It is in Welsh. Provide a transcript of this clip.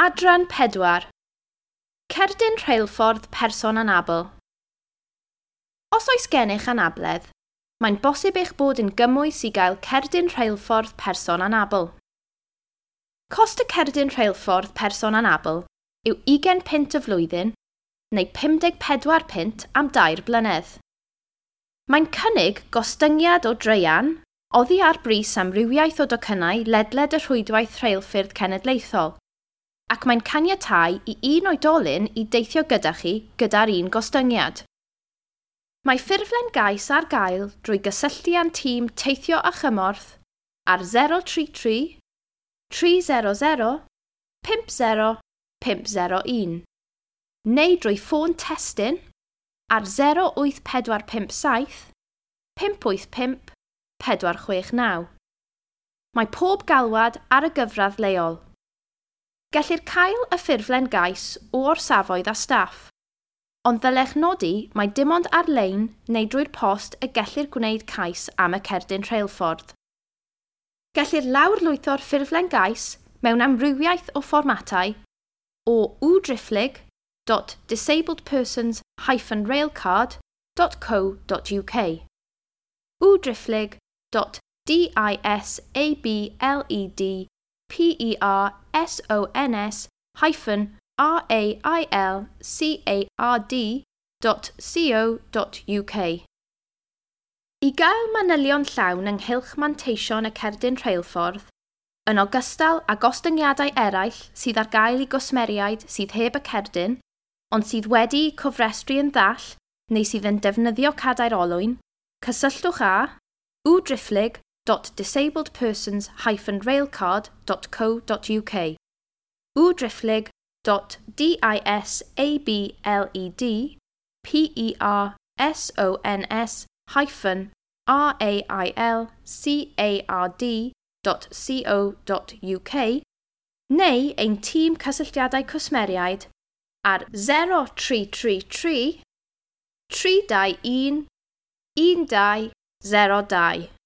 Adran 4. Cerdyn rheilffordd person anabl. Os oes gennych anabledd, mae'n bosib eich bod yn gymwys i gael cerdyn rheilffordd person anabl. Cost y cerdyn rheilffordd person anabl yw 20 punt y flwyddyn neu 54 punt am 3 blynedd. Mae'n cynnig gostyngiad o draean oddi ar bris amrywiaeth o docynnau ledled y rhwydwaith rheilffyrdd cenedlaethol, ac mae'n caniatáu i un oedolyn i deithio gyda chi gyda'r un gostyngiad. Mae ffurflen gais ar gael drwy gysylltu â'n tîm Teithio a Chymorth ar 033 300 50 501 neu drwy ffôn testun ar 08457 585 469. Mae pob galwad ar y gyfradd leol. Gellir cael y ffurflen gais o orsafoedd a staff, ond ddylech nodi mai dim ond ar-lein neu drwy'r post y gellir gwneud cais am y cerdyn rheilffordd. Gellir lawrlwytho'r ffurflen gais mewn amrywiaeth o fformatau o www.disabledpersons-railcard.co.uk www.disabledpersons-railcard.co.uk. I gael manylion llawn ynghylch manteision y cerdyn rheilffordd, yn ogystal â gostyngiadau eraill sydd ar gael i gwsmeriaid sydd heb y cerdyn, ond sydd wedi'u cofrestru yn ddall neu sydd yn defnyddio cadair olwyn, cysylltwch â www.disabledpersons-railcard.co.uk www.disabledpersons-railcard.co.uk neu ein tîm cysylltiadau cwsmeriaid ar 0333 321 1202.